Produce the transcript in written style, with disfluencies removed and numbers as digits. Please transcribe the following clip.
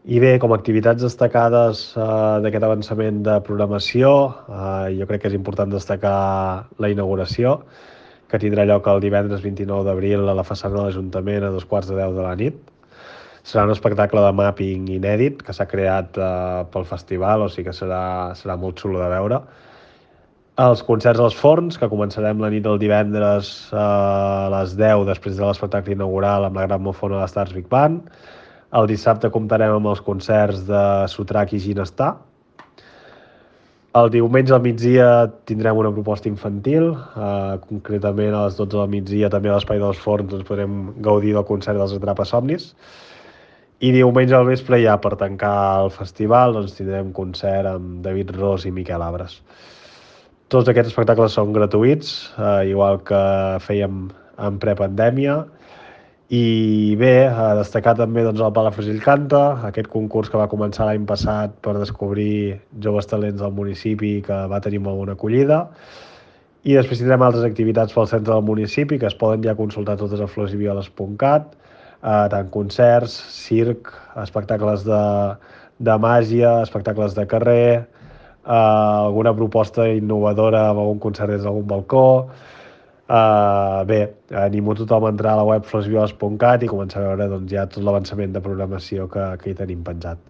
I bé, com a activitats destacades d'aquest avançament de programació, jo crec que és important destacar la inauguració, que tindrà lloc el divendres 29 d'abril a la façana de l'Ajuntament a 2:15 de la nit. Serà un espectacle de mapping inèdit que s'ha creat pel festival, o sigui que serà molt xulo de veure. Els concerts als forns, que començarem la nit del divendres a les 10 després de l'espectacle inaugural amb la gran mofona de l'Stars Big Band. El dissabte comptarem amb els concerts de Sotrac i Ginestar. El diumenge al migdia tindrem una proposta infantil, concretament a les 12 del migdia també a l'Espai dels Forns podrem gaudir del concert dels Atrapa-somnis. I diumenge al vespre, ja per tancar el festival, tindrem concert amb David Ros i Miquel Abres. Tots aquests espectacles són gratuïts, igual que fèiem en prepandèmia. I bé, a destacar també el Palafrugell Canta, aquest concurs que va començar l'any passat per descobrir joves talents del municipi, que va tenir molt bona acollida. I després tindrem altres activitats pel centre del municipi, que es poden ja consultar totes a florsivioles.cat, tant concerts, circ, espectacles de màgia, espectacles de carrer, alguna proposta innovadora amb algun concert des d'algun balcó. Bé, animo tothom a entrar a la web florsivioles.cat i començar a veure ja tot l'avançament de programació que hi tenim penjat.